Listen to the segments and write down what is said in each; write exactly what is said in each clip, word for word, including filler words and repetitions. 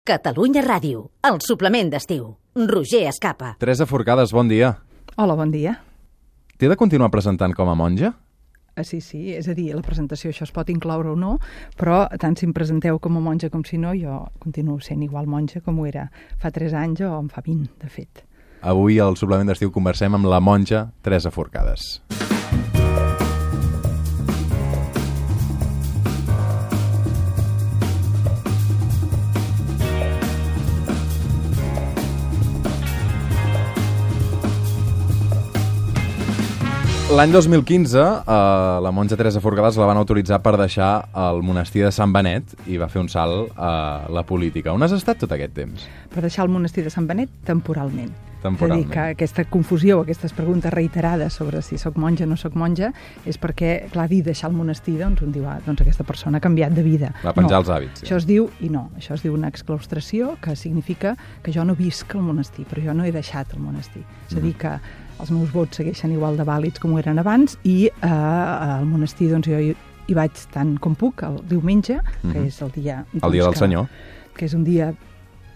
Catalunya Ràdio, el suplement d'estiu. Roger Escapa. Teresa Forcades, bon dia. Hola, bon dia. T'he de continuar presentant com a monja? Ah, sí, sí, és a dir, la presentació això es pot incloure o no, però tant si em presenteu com a monja com si no, jo continuo sent igual monja com ho era fa tres anys o en fa vint, de fet. Avui al suplement d'estiu conversem amb la monja Teresa Forcades. L'any dos mil quinze, eh, la monja Teresa Forcades la van autoritzar per deixar el monestir de Sant Benet i va fer un salt a la política. On has estat tot aquest temps? Per deixar el monestir de Sant Benet temporalment. Temporalment. És a dir, que aquesta confusió, aquestes preguntes reiterades sobre si sóc monja o no sóc monja, és perquè, clar, dir deixar el monestir, doncs un diu, ah, doncs aquesta persona ha canviat de vida. Va penjar no, els hàbits. Sí. Això es diu, i no, això es diu una exclaustració, que significa que jo no visc al monestir, però jo no he deixat el monestir. És a dir, que els meus vots segueixen igual de vàlids com ho eren abans i eh, al monestir doncs, jo hi, hi vaig tant com puc el diumenge, que mm-hmm. és el dia... Doncs, el dia del que, Senyor. Que és un dia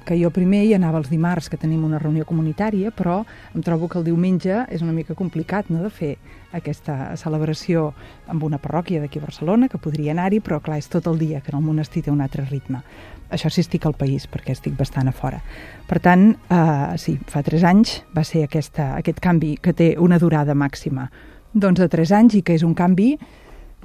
que jo primer hi anava els dimarts, que tenim una reunió comunitària, però em trobo que el diumenge és una mica complicat, no?, de fer aquesta celebració amb una parròquia d'aquí a Barcelona, que podria anar-hi, però clar, és tot el dia, que en el monestir té un altre ritme. Això sí, estic al país, perquè estic bastant a fora. Per tant, eh, sí, fa tres anys va ser aquesta, aquest canvi que té una durada màxima doncs de tres anys i que és un canvi,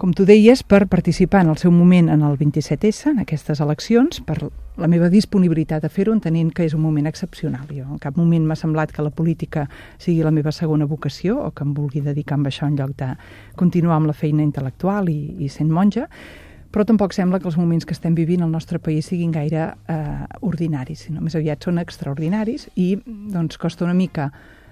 com tu deies, per participar en el seu moment en el vint-i-set essa, en aquestes eleccions, per la meva disponibilitat a fer-ho, entenent que és un moment excepcional. Jo en cap moment m'ha semblat que la política sigui la meva segona vocació o que em vulgui dedicar amb això en lloc de continuar amb la feina intel·lectual i, i sent monja, però tampoc sembla que els moments que estem vivint al nostre país siguin gaire eh, ordinaris, sinó més aviat són extraordinaris i doncs costa una mica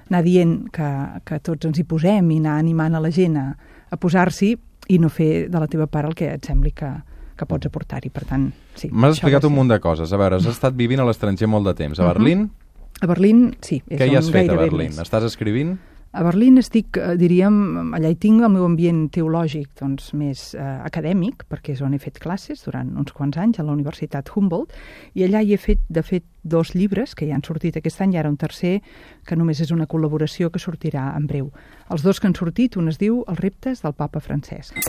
anar dient que, que tots ens hi posem i anar animant a la gent a, a posar-s'hi i no fer de la teva part el que et sembli que, que pots aportar-hi. Per tant, sí. M'has explicat un munt de coses. A veure, has estat vivint a l'estranger molt de temps. A Berlín? Uh-huh. A Berlín, sí. Què hi has fet a Berlín? Més. Estàs escrivint? A Berlín estic, diríem, allà hi tinc el meu ambient teològic doncs, més eh, acadèmic, perquè és on he fet classes durant uns quants anys a la Universitat Humboldt, i allà hi he fet, de fet, dos llibres que ja han sortit aquest any, i ara un tercer, que només és una col·laboració que sortirà en breu. Els dos que han sortit, un es diu Els reptes del papa Francesc.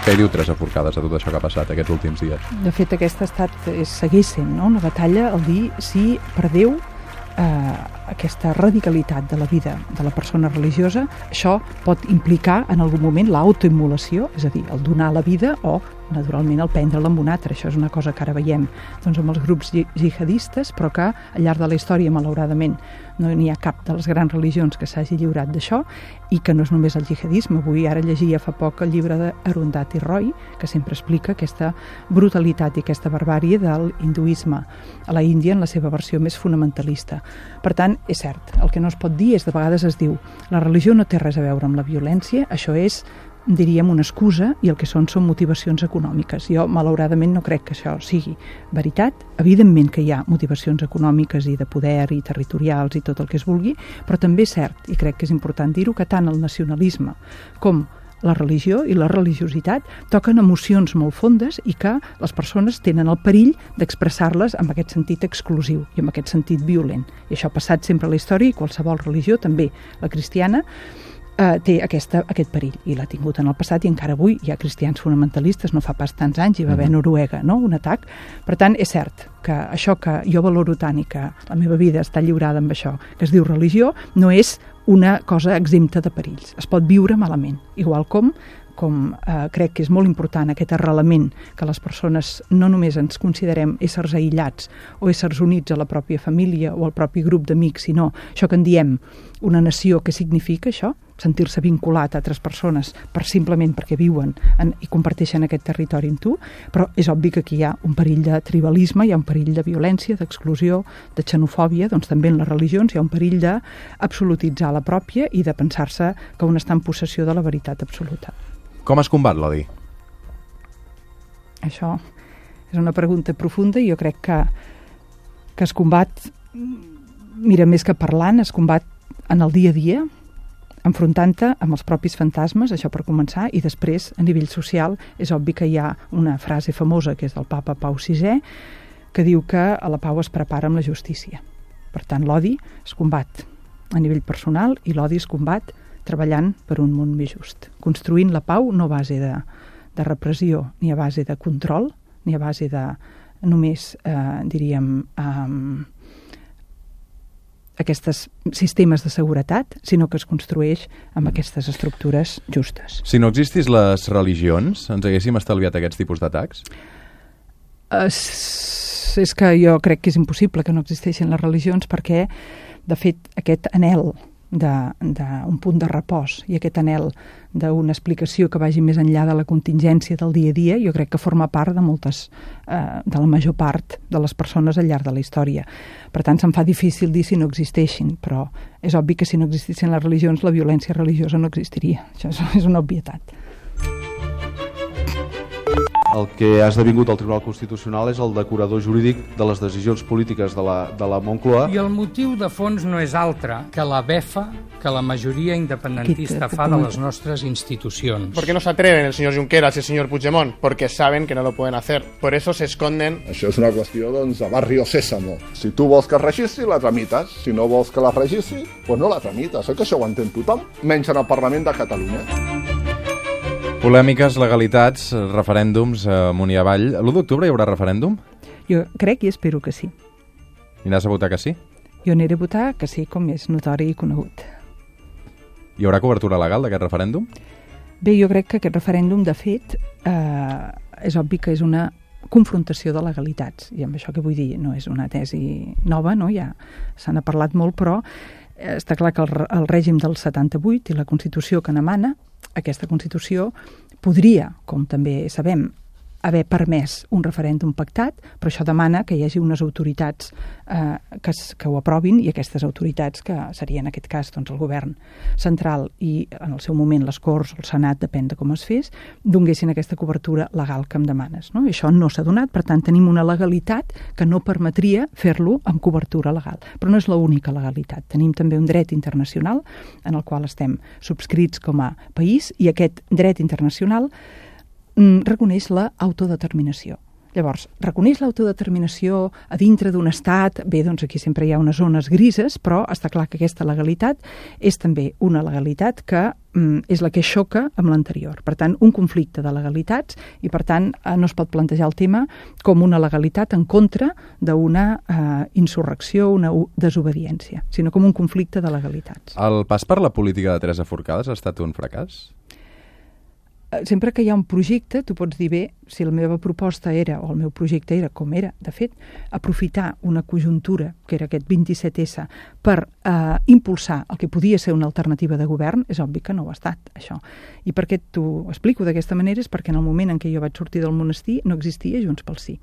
Què diu Teresa Forcades a tot això que ha passat aquests últims dies? De fet, aquesta ha estat, és, segueix sent, no?, una batalla al dir si per Déu eh, aquesta radicalitat de la vida de la persona religiosa, això pot implicar en algun moment l'autoimmolació, és a dir, el donar la vida o, naturalment, el prendre-la amb un altre. Això és una cosa que ara veiem doncs, amb els grups jihadistes, però que al llarg de la història, malauradament, no n'hi ha cap de les grans religions que s'hagi lliurat d'això i que no és només el jihadisme. Avui ara llegia fa poc el llibre d'Arundhati Roy, que sempre explica aquesta brutalitat i aquesta barbàrie del hinduisme a la Índia en la seva versió més fonamentalista. Per tant, és cert, el que no es pot dir és, de vegades es diu, la religió no té res a veure amb la violència, això és, diríem, una excusa, i el que són són motivacions econòmiques. Jo, malauradament, no crec que això sigui veritat. Evidentment que hi ha motivacions econòmiques i de poder i territorials i tot el que es vulgui, però també és cert, i crec que és important dir-ho, que tant el nacionalisme com la religió i la religiositat toquen emocions molt fondes i que les persones tenen el perill d'expressar-les amb aquest sentit exclusiu i amb aquest sentit violent. I això ha passat sempre a la història i qualsevol religió, també la cristiana, Uh, té aquesta, aquest perill, i l'ha tingut en el passat i encara avui hi ha cristians fonamentalistes, no fa pas tants anys, hi va haver a Noruega, no?, un atac. Per tant, és cert que això que jo valoro tant i que la meva vida està lliurada amb això, que es diu religió, no és una cosa exempta de perills. Es pot viure malament, igual com com eh, crec que és molt important aquest arrelament que les persones no només ens considerem éssers aïllats o éssers units a la pròpia família o al propi grup d'amics, sinó això que en diem una nació, que significa això? Sentir-se vinculat a altres persones per simplement perquè viuen en, i comparteixen aquest territori amb tu, però és obvi que aquí hi ha un perill de tribalisme, hi ha un perill de violència, d'exclusió, de xenofòbia, doncs també en les religions hi ha un perill d'absolutitzar la pròpia i de pensar-se que un està en possessió de la veritat absoluta. Com es combat l'odi? Això és una pregunta profunda i jo crec que, que es combat mira, més que parlant, es combat en el dia a dia, enfrontant-te amb els propis fantasmes, això per començar, i després, a nivell social, és obvi que hi ha una frase famosa, que és del papa Pau sisè, que diu que a la pau es prepara amb la justícia. Per tant, l'odi es combat a nivell personal i l'odi es combat treballant per un món més just. Construint la pau no a base de, de repressió, ni a base de control, ni a base de només, eh, diríem, eh, aquests sistemes de seguretat, sinó que es construeix amb aquestes estructures justes. Si no existís les religions, ens haguéssim estalviat aquests tipus d'atacs? Uh, és que jo crec que és impossible que no existeixin les religions perquè, de fet, aquest anhel d'un punt de repòs i aquest anhel d'una explicació que vagi més enllà de la contingència del dia a dia, jo crec que forma part de moltes, eh, de la major part de les persones al llarg de la història. Per tant, se'm fa difícil dir si no existeixin, però és obvi que si no existissin les religions, la violència religiosa no existiria. Això és una obvietat. El que ha esdevingut al Tribunal Constitucional és el decorador jurídic de les decisions polítiques de la, de la Moncloa. I el motiu de fons no és altre que la befa que la majoria independentista fa de les nostres institucions. ¿Por qué no se atreven el señor Junqueras y el señor Puigdemont? Porque saben que no lo pueden hacer. Por eso se esconden. Això és una qüestió, doncs, de barrio sésamo. Si tu vols que es registri, la tramites. Si no vols que la registri, doncs no la tramites. Oi que això ho entén tothom? Menys en el Parlament de Catalunya. Polèmiques, legalitats, referèndums amunt i avall. L'u d'octubre hi haurà referèndum? Jo crec i espero que sí. I n'has a votar que sí? Jo aniré a votar que sí, com és notori i conegut. Hi haurà cobertura legal d'aquest referèndum? Bé, jo crec que aquest referèndum, de fet, eh, és obvi que és una confrontació de legalitats. I amb això que vull dir, no és una tesi nova, no? Ja se n'ha parlat molt, però està clar que el, el règim del setanta-vuit i la Constitució que n'emana, aquesta Constitució podria, com també sabem, haver permès un referèndum pactat, però això demana que hi hagi unes autoritats eh, que, que ho aprovin, i aquestes autoritats, que seria en aquest cas doncs, el govern central i en el seu moment les Corts, el Senat, depèn de com es fes, donguessin aquesta cobertura legal que em demanes. No? I això no s'ha donat, per tant tenim una legalitat que no permetria fer-lo amb cobertura legal. Però no és l'única legalitat. Tenim també un dret internacional en el qual estem subscrits com a país, i aquest dret internacional reconeix l'autodeterminació. Llavors, reconeix l'autodeterminació a dintre d'un estat, bé, doncs aquí sempre hi ha unes zones grises, però està clar que aquesta legalitat és també una legalitat que mm, és la que xoca amb l'anterior. Per tant, un conflicte de legalitats, i per tant no es pot plantejar el tema com una legalitat en contra d'una eh, insurrecció, una desobediència, sinó com un conflicte de legalitats. El pas per la política de Teresa Forcades ha estat un fracàs? Sempre que hi ha un projecte, tu pots dir, bé, si la meva proposta era, o el meu projecte era, com era, de fet, aprofitar una conjuntura, que era aquest vint-i-set essa, per eh, impulsar el que podia ser una alternativa de govern, és obvi que no ho ha estat, això. I per què t'ho explico d'aquesta manera? És perquè en el moment en què jo vaig sortir del monestir no existia Junts pel Sí.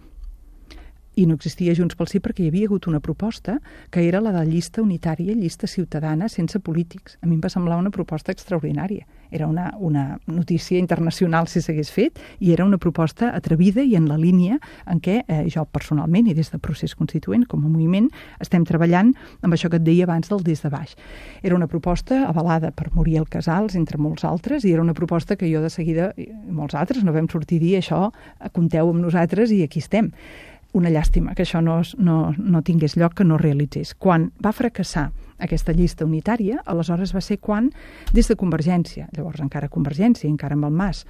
I no existia Junts pel Sí perquè hi havia hagut una proposta que era la de llista unitària, llista ciutadana sense polítics. A mi em va semblar una proposta extraordinària. Era una, una notícia internacional si s'hagués fet, i era una proposta atrevida i en la línia en què eh, jo personalment i des de Procés Constituent com a moviment estem treballant amb això que et deia abans del des de baix. Era una proposta avalada per Muriel Casals, entre molts altres, i era una proposta que jo de seguida, molts altres, no vam sortir a dir això, compteu amb nosaltres i aquí estem. Una llàstima que això no, no, no tingués lloc, que no realitzés. Quan va fracassar aquesta llista unitària, aleshores va ser quan, des de Convergència, llavors encara Convergència, encara amb el Mas,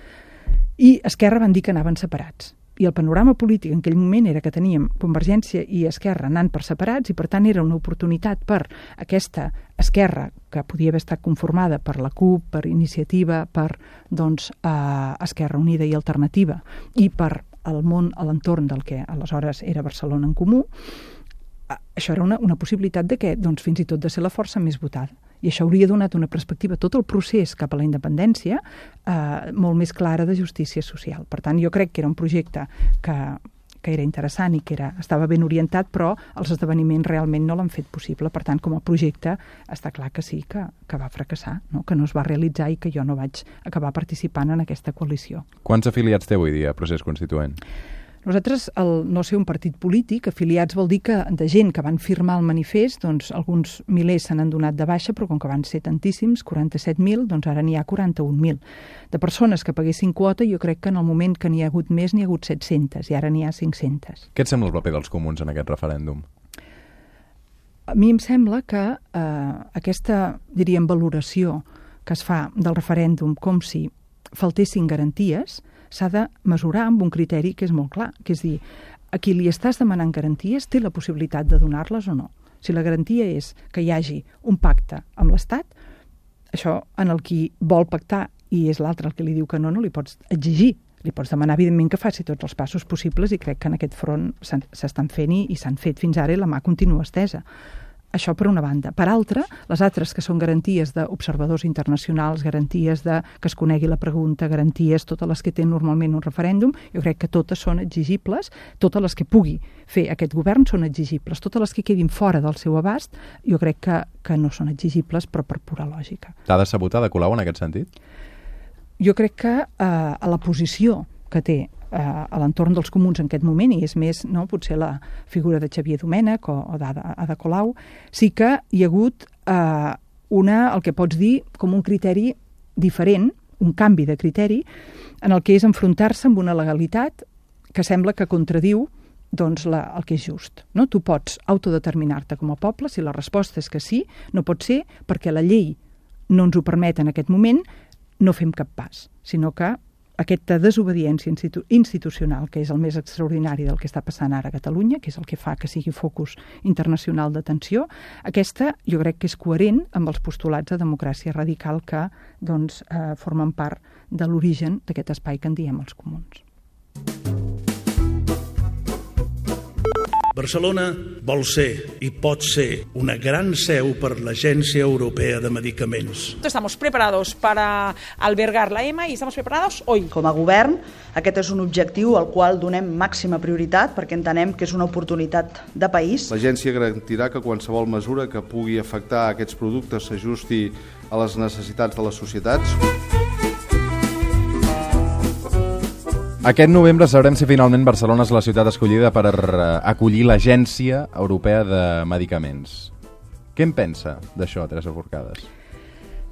i Esquerra van dir que anaven separats. I el panorama polític en aquell moment era que teníem Convergència i Esquerra anant per separats, i per tant era una oportunitat per aquesta Esquerra, que podia haver estat conformada per la CUP, per Iniciativa, per doncs, eh, Esquerra Unida i Alternativa, i per al món, a l'entorn del que aleshores era Barcelona en Comú. Això era una, una possibilitat de que, doncs, fins i tot de ser la força més votada. I això hauria donat una perspectiva, tot el procés cap a la independència, eh, molt més clara de justícia social. Per tant, jo crec que era un projecte que, que era interessant i que era, estava ben orientat, però els esdeveniments realment no l'han fet possible. Per tant, com a projecte, està clar que sí, que, que va fracassar, no? Que no es va realitzar i que jo no vaig acabar participant en aquesta coalició. Quants afiliats té avui dia Procés Constituent? Nosaltres, el no ser un partit polític, afiliats vol dir que de gent que van firmar el manifest, doncs alguns milers se n'han donat de baixa, però com que van ser tantíssims, quaranta-set mil, doncs ara n'hi ha quaranta-un mil. De persones que paguessin quota, jo crec que en el moment que n'hi ha hagut més, n'hi ha hagut set-centes, i ara n'hi ha cinc-centes. Què et sembla el paper dels comuns en aquest referèndum? A mi em sembla que eh, aquesta, diríem, valoració que es fa del referèndum com si faltessin garanties, s'ha de mesurar amb un criteri que és molt clar, que és dir, a qui li estàs demanant garanties té la possibilitat de donar-les o no. Si la garantia és que hi hagi un pacte amb l'Estat, això en el qui vol pactar i és l'altre el que li diu que no, no li pots exigir. Li pots demanar, evidentment, que faci tots els passos possibles i crec que en aquest front s'estan fent i s'han fet fins ara i la mà continua estesa. Això per una banda. Per altra, les altres que són garanties d'observadors internacionals, garanties de que es conegui la pregunta, garanties, totes les que té normalment un referèndum, jo crec que totes són exigibles, totes les que pugui fer aquest govern són exigibles, totes les que quedin fora del seu abast, jo crec que, que no són exigibles, però per pura lògica. T'ha de sabotar de Colau en aquest sentit? Jo crec que eh, a la posició que té a l'entorn dels comuns en aquest moment, i és més, no, potser la figura de Xavier Domènech o, o d'Ada Colau, sí que hi ha hagut eh, una, el que pots dir, com un criteri diferent, un canvi de criteri, en el que és enfrontar-se amb una legalitat que sembla que contradiu doncs, la, el que és just. No? Tu pots autodeterminar-te com a poble, si la resposta és que sí, no pot ser perquè la llei no ens ho permet en aquest moment, no fem cap pas, sinó que aquesta desobediència institu institucional, que és el més extraordinari del que està passant ara a Catalunya, que és el que fa que sigui focus internacional d'atenció, aquesta jo crec que és coherent amb els postulats de democràcia radical que doncs, eh, formen part de l'origen d'aquest espai que en diem els comuns. Barcelona vol ser i pot ser una gran seu per l'Agència Europea de Medicaments. Estamos preparados para albergar la E M A y estamos preparados hoy. Com a govern, aquest és un objectiu al qual donem màxima prioritat perquè entenem que és una oportunitat de país. L'agència garantirà que qualsevol mesura que pugui afectar aquests productes s'ajusti a les necessitats de les societats. Aquest novembre sabrem si finalment Barcelona és la ciutat escollida per acollir l'Agència Europea de Medicaments. Què en pensa d'això, Teresa Forcades?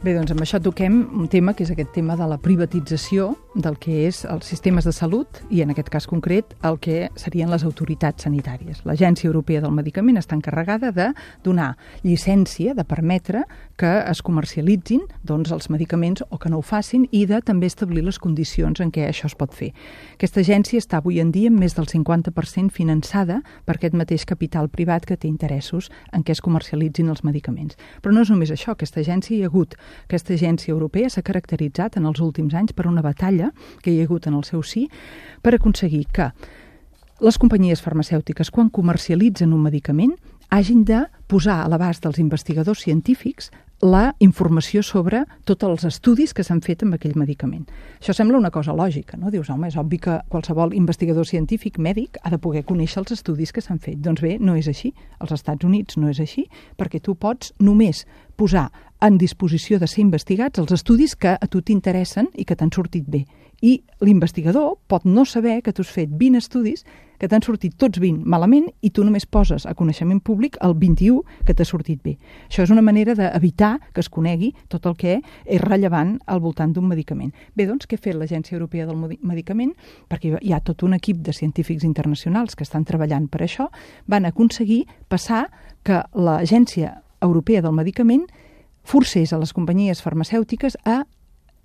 Bé, doncs amb això toquem un tema que és aquest tema de la privatització del que és els sistemes de salut i, en aquest cas concret, el que serien les autoritats sanitàries. L'Agència Europea del Medicament està encarregada de donar llicència, de permetre que es comercialitzin doncs, els medicaments o que no ho facin i de també establir les condicions en què això es pot fer. Aquesta agència està avui en dia amb més del cinquanta per cent finançada per aquest mateix capital privat que té interessos en què es comercialitzin els medicaments. Però no és només això, aquesta agència hi ha hagut Aquesta agència europea s'ha caracteritzat en els últims anys per una batalla que hi ha hagut en el seu si per aconseguir que les companyies farmacèutiques, quan comercialitzen un medicament, hagin de posar a l'abast dels investigadors científics la informació sobre tots els estudis que s'han fet amb aquell medicament. Això sembla una cosa lògica, no? Dius, home, és obvi que qualsevol investigador científic, mèdic, ha de poder conèixer els estudis que s'han fet. Doncs bé, no és així. Als Estats Units no és així, perquè tu pots només posar en disposició de ser investigats els estudis que a tu t'interessen i que t'han sortit bé. I l'investigador pot no saber que tu has fet vint estudis que t'han sortit tots vint malament i tu només poses a coneixement públic el vint-i-u que t'ha sortit bé. Això és una manera d'evitar que es conegui tot el que és rellevant al voltant d'un medicament. Bé, doncs, què ha fet l'Agència Europea del Medicament? Perquè hi ha tot un equip de científics internacionals que estan treballant per això, van aconseguir passar que l'Agència Europea del Medicament forcés a les companyies farmacèutiques a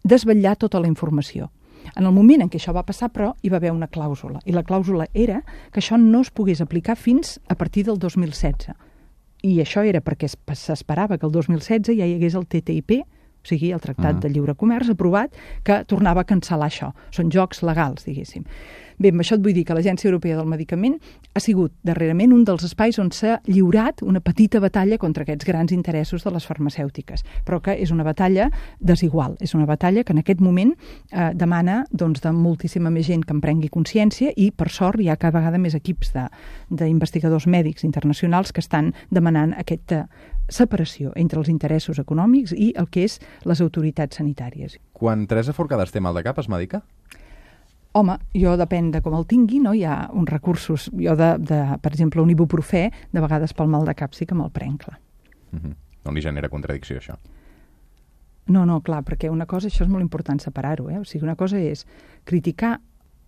desvetllar tota la informació. En el moment en què això va passar, però, hi va haver una clàusula. I la clàusula era que això no es pogués aplicar fins a partir del dos mil setze. I això era perquè s'esperava que el dos mil setze ja hi hagués el T T I P, o sigui, el Tractat de Lliure Comerç aprovat, que tornava a cancel·lar això. Són jocs legals, diguéssim. Bé, amb això et vull dir que l'Agència Europea del Medicament ha sigut darrerament un dels espais on s'ha lliurat una petita batalla contra aquests grans interessos de les farmacèutiques, però que és una batalla desigual. És una batalla que en aquest moment eh, demana doncs, de moltíssima més gent que en prengui consciència i, per sort, hi ha cada vegada més equips d'investigadors mèdics internacionals que estan demanant aquesta separació entre els interessos econòmics i el que és les autoritats sanitàries. Quan Teresa Forcades té mal de cap, es medica? Home, jo depèn de com el tingui, no? Hi ha uns recursos, jo de, de per exemple, un ibuprofè, de vegades pel mal de cap sí que me'l prenc, clar. Uh-huh. No li genera contradicció, això? No, no, clar, perquè una cosa, això és molt important separar-ho, eh? O sigui, una cosa és criticar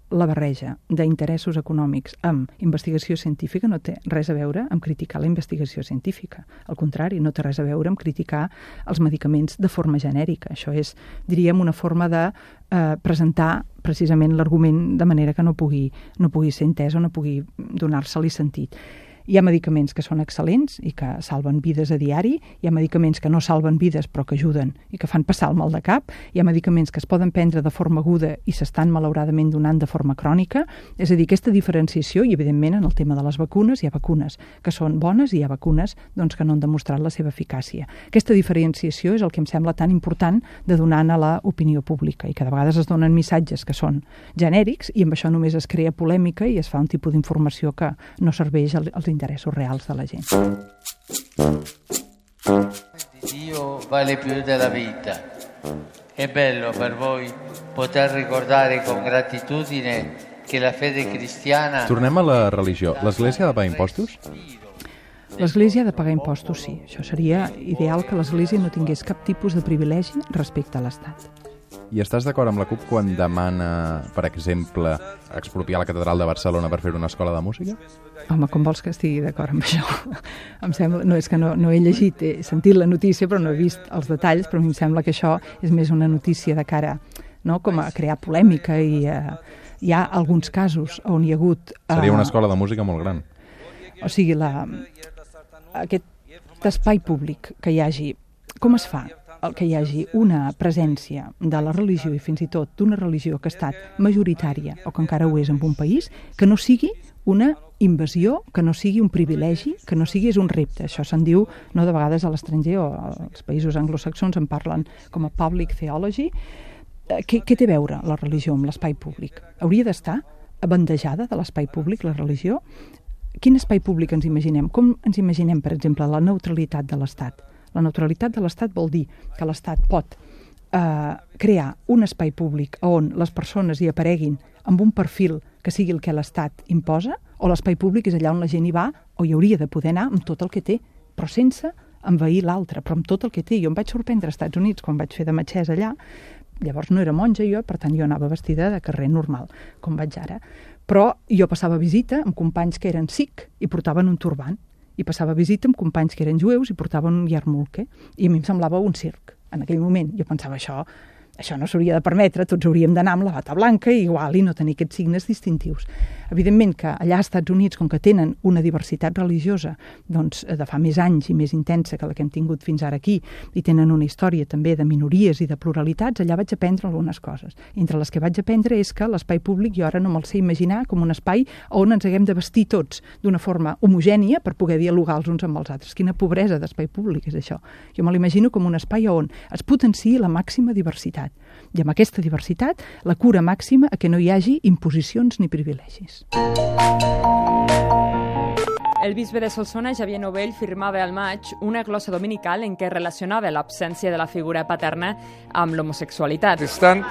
la barreja d'interessos econòmics amb investigació científica no té res a veure amb criticar la investigació científica. Al contrari, no té res a veure amb criticar els medicaments de forma genèrica. Això és, diríem, una forma de eh, presentar precisament l'argument de manera que no pugui, no pugui ser entès o no pugui donar-se-li sentit. Hi ha medicaments que són excel·lents i que salven vides a diari, hi ha medicaments que no salven vides però que ajuden i que fan passar el mal de cap, hi ha medicaments que es poden prendre de forma aguda i s'estan malauradament donant de forma crònica, és a dir, aquesta diferenciació, i evidentment en el tema de les vacunes hi ha vacunes que són bones i hi ha vacunes doncs, que no han demostrat la seva eficàcia. Aquesta diferenciació és el que em sembla tan important de donar a l'opinió pública i que de vegades es donen missatges que són genèrics i amb això només es crea polèmica i es fa un tipus d'informació que no serveix als interessos reals de la gent. Dio vale più della vita. È bello per voi poter ricordare con gratitudine che la fede cristiana... Tornem a la religió. L'Església ha de pagar impostos? L'Església ha de pagar impostos, sí. Això seria ideal que l'Església no tingués cap tipus de privilegi respecte a l'Estat. I estàs d'acord amb la CUP quan demana, per exemple, expropiar la Catedral de Barcelona per fer una escola de música? Home, com vols que estigui d'acord amb això? Em sembla, no, és que no, no he llegit, he sentit la notícia, però no he vist els detalls, però a mi em sembla que això és més una notícia de cara, no?, com a crear polèmica i eh, hi ha alguns casos on hi ha hagut... Eh, Seria una escola de música molt gran. O sigui, la, aquest espai públic que hi hagi, com es fa? El que hi hagi una presència de la religió i fins i tot d'una religió que ha estat majoritària o que encara ho és en un país, que no sigui una invasió, que no sigui un privilegi, que no sigui és un repte. Això se'n diu, no, de vegades a l'estranger o als països anglosaxons en parlen com a public theology. Què, què té a veure la religió amb l'espai públic? Hauria d'estar abandejada de l'espai públic, la religió? Quin espai públic ens imaginem? Com ens imaginem, per exemple, la neutralitat de l'Estat? La neutralitat de l'Estat vol dir que l'Estat pot eh, crear un espai públic on les persones hi apareguin amb un perfil que sigui el que l'Estat imposa, o l'espai públic és allà on la gent hi va o hi hauria de poder anar amb tot el que té, però sense envair l'altre, però amb tot el que té. Jo em vaig sorprendre als Estats Units quan vaig fer de metgessa allà, llavors no era monja jo, per tant jo anava vestida de carrer normal, com vaig ara, però jo passava visita amb companys que eren sikh i portaven un turbant, i passava visita amb companys que eren jueus i portaven un yarmulke, i a mi em semblava un circ. En aquell moment jo pensava, això, això no s'hauria de permetre, tots hauríem d'anar amb la bata blanca i igual i no tenir aquests signes distintius. Evidentment que allà als Estats Units, com que tenen una diversitat religiosa doncs, de fa més anys i més intensa que la que hem tingut fins ara aquí, i tenen una història també de minories i de pluralitats, allà vaig aprendre algunes coses. Entre les que vaig aprendre és que l'espai públic jo ara no me'l sé imaginar com un espai on ens haguem de vestir tots d'una forma homogènia per poder dialogar els uns amb els altres. Quina pobresa d'espai públic és això. Jo me l'imagino com un espai on es potenciï la màxima diversitat. I amb aquesta diversitat, la cura màxima a que no hi hagi imposicions ni privilegis. El bisbe de Solsona, Xavier Novell, firmava al maig una glossa dominical en què relacionava l'absència de la figura paterna amb l'homosexualitat. Estan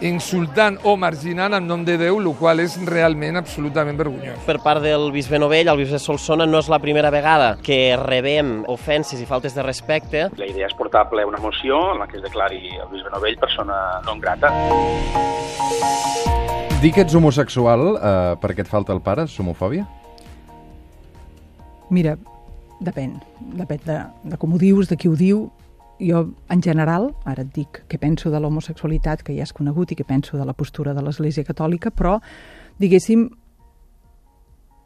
insultant o marginant en nom de Déu, el qual és realment absolutament vergonyós. Per part del bisbe Novell, el bisbe de Solsona, no és la primera vegada que rebem ofenses i faltes de respecte. La idea és portar a ple una moció en la que es declari el bisbe Novell persona non grata. Dir que ets homosexual eh, perquè et falta el pare és homofòbia? Mira, depèn, depèn de, de com ho dius, de qui ho diu. Jo, en general, ara et dic què penso de l'homosexualitat, que ja és conegut, i què penso de la postura de l'Església Catòlica, però, diguéssim,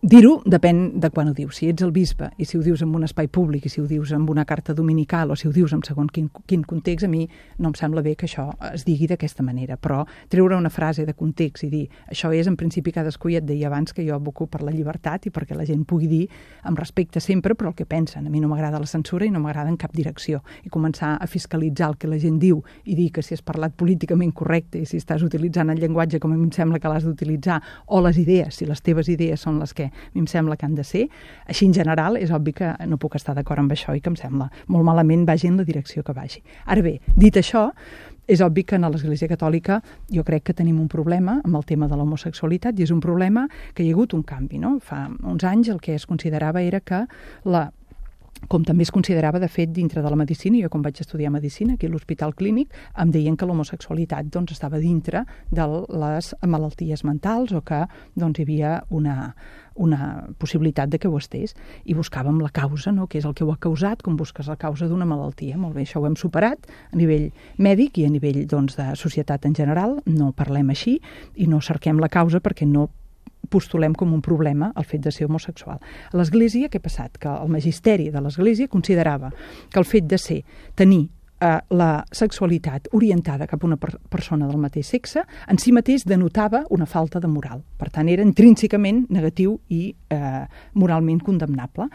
dir-ho depèn de quan ho dius. Si ets el bisbe i si ho dius en un espai públic i si ho dius en una carta dominical o si ho dius en segon quin, quin context, a mi no em sembla bé que això es digui d'aquesta manera. Però treure una frase de context i dir això és, en principi, cadascú, ja et deia abans que jo aboco per la llibertat i perquè la gent pugui dir amb respecte sempre, però el que pensen. A mi no m'agrada la censura i no m'agrada en cap direcció. I començar a fiscalitzar el que la gent diu i dir que si has parlat políticament correcte i si estàs utilitzant el llenguatge com a mi em sembla que l'has d'utilitzar, o les idees, si les teves idees són les que a mi em sembla que han de ser. Així, en general, és obvi que no puc estar d'acord amb això i que em sembla molt malament vagi en la direcció que vagi. Ara bé, dit això, és obvi que a l'Església Catòlica jo crec que tenim un problema amb el tema de l'homosexualitat i és un problema que hi ha hagut un canvi, no? Fa uns anys el que es considerava era que la com també es considerava, de fet, dintre de la medicina, jo quan vaig estudiar medicina aquí a l'Hospital Clínic, em deien que l'homosexualitat doncs, estava dintre de les malalties mentals o que doncs, hi havia una, una possibilitat de que ho estés i buscàvem la causa, no? Què és el que ho ha causat, com busques la causa d'una malaltia. Molt bé, això ho hem superat a nivell mèdic i a nivell doncs, de societat en general, no parlem així i no cerquem la causa perquè no postulem com un problema el fet de ser homosexual. A l'Església, què ha passat? Que el magisteri de l'Església considerava que el fet de ser, tenir eh, la sexualitat orientada cap a una per persona del mateix sexe, en si mateix denotava una falta de moral. Per tant, era intrínsecament negatiu i eh, moralment condemnable.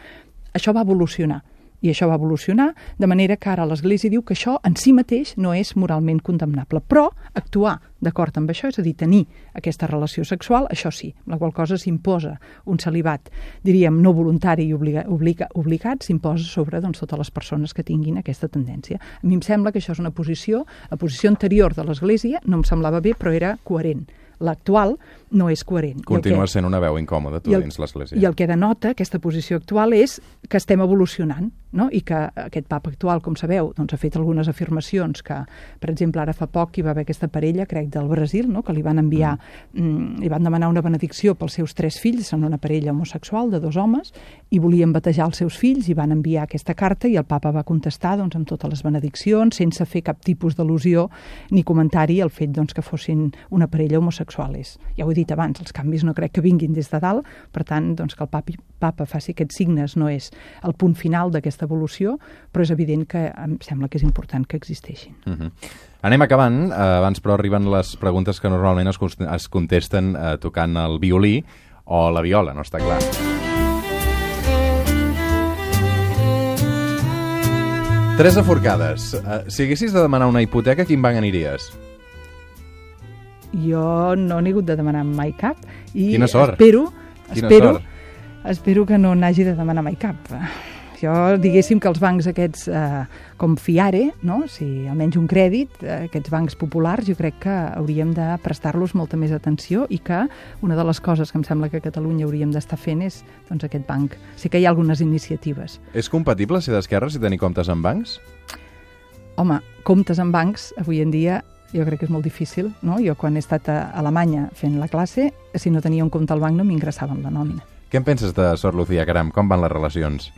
Això va evolucionar. I això va evolucionar, de manera que ara l'Església diu que això en si mateix no és moralment condemnable. Però actuar d'acord amb això, és a dir, tenir aquesta relació sexual, això sí, la qual cosa s'imposa un celibat, diríem, no voluntari i obliga, obliga, obligat, s'imposa sobre doncs, totes les persones que tinguin aquesta tendència. A mi em sembla que això és una posició, la posició anterior de l'Església no em semblava bé, però era coherent. L'actual no és coherent. Continua sent una veu incòmoda, tu, dins l'Església. I el que denota aquesta posició actual és que estem evolucionant, no? I que aquest papa actual, com sabeu, doncs, ha fet algunes afirmacions que, per exemple, ara fa poc hi va haver aquesta parella, crec, del Brasil, no? Que li van enviar, mm. li van demanar una benedicció pels seus tres fills, són una parella homosexual de dos homes, i volien batejar els seus fills i van enviar aquesta carta i el papa va contestar doncs, amb totes les benediccions, sense fer cap tipus d'al·lusió ni comentari al fet doncs, que fossin una parella homosexual. Ja ho he dit abans, els canvis no crec que vinguin des de dalt, per tant, doncs, que el papa, papa faci aquests signes no és el punt final d'aquesta evolució, però és evident que em sembla que és important que existeixin. Uh-huh. Anem acabant, eh, abans però arriben les preguntes que normalment es, es contesten eh, tocant el violí o la viola, no està clar. Teresa Forcades, eh, si haguessis de demanar una hipoteca, a quin banc aniries? Jo no n'he hagut de demanar mai cap i Quina sort. espero, Quina espero, sort. espero que no n'hagi de demanar mai cap. Jo, diguéssim que els bancs aquests eh, com Fiare, no? Si almenys un crèdit, eh, aquests bancs populars, jo crec que hauríem de prestar-los molta més atenció i que una de les coses que em sembla que a Catalunya hauríem d'estar fent és doncs, aquest banc. Sí que hi ha algunes iniciatives. És compatible ser d'esquerres i tenir comptes en bancs? Home, comptes en bancs, avui en dia, jo crec que és molt difícil, no? Jo quan he estat a Alemanya fent la classe, si no tenia un compte al banc no m'ingressaven la nòmina. Què en penses de Sor Lucía Caram? Com van les relacions?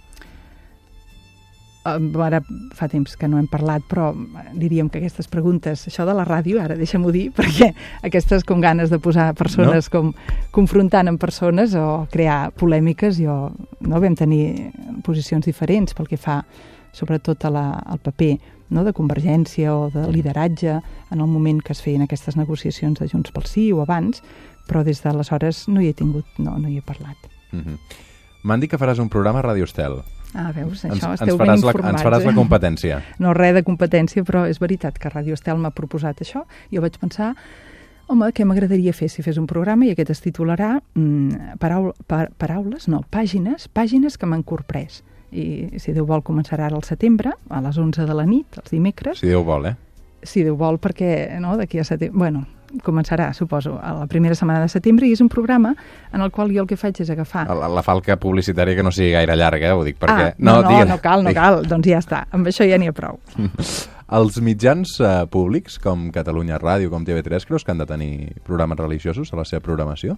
Ara fa temps que no hem parlat, però diríem que aquestes preguntes, això de la ràdio, ara deixa'm-ho dir, perquè aquestes com ganes de posar persones no? com confrontant amb persones o crear polèmiques, jo no vam tenir posicions diferents pel que fa sobretot a la, al paper no, de convergència o de lideratge en el moment que es feien aquestes negociacions de Junts pel Sí o abans, però des d'aleshores no hi he tingut, no, no hi he parlat. Mm-hmm. M'han dit que faràs un programa a Ràdio Estel. Ah, veus, això ens, esteu ens ben informats. La, ens faràs eh? la competència. No, res de competència, però és veritat que Ràdio Estel m'ha proposat això. Jo vaig pensar, home, què m'agradaria fer si fes un programa i aquest es titularà mm, paraul, pa, paraules, no, pàgines, pàgines que m'han corprès. I si Déu vol començarà ara al setembre, a les onze de la nit, els dimecres. Si Déu vol, eh? Si Déu vol, perquè no, d'aquí a setembre... Bueno, començarà, suposo, a la primera setmana de setembre i és un programa en el qual jo el que faig és agafar... La, la falca publicitària que no sigui gaire llarga, eh? Ho dic perquè... Ah, no, no, no, no cal, no cal, doncs ja està, amb això ja n'hi ha prou. Els mitjans eh, públics, com Catalunya Ràdio, com T V tres, creus que han de tenir programes religiosos a la seva programació?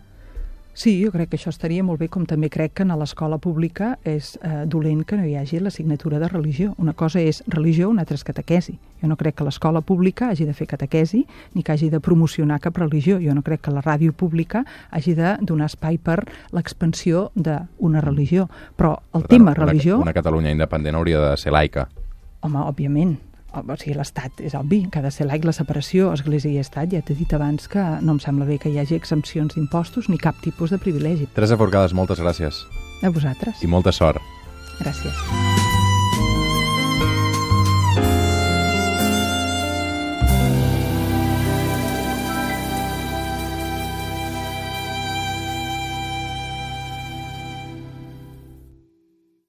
Sí, jo crec que això estaria molt bé, com també crec que a l'escola pública és eh, dolent que no hi hagi l'assignatura de religió. Una cosa és religió, una altra és catequesi. Jo no crec que l'escola pública hagi de fer catequesi ni que hagi de promocionar cap religió. Jo no crec que la ràdio pública hagi de donar espai per l'expansió d'una religió. Però el Per tema tant, religió... Una, una Catalunya independent hauria de ser laica. Home, òbviament. O sigui, l'Estat és obvi, que ha de ser laic, la separació Església i Estat. Ja t'he dit abans que no em sembla bé que hi hagi exempcions d'impostos ni cap tipus de privilegi. Teresa Forcades, moltes gràcies. A vosaltres. I molta sort. Gràcies.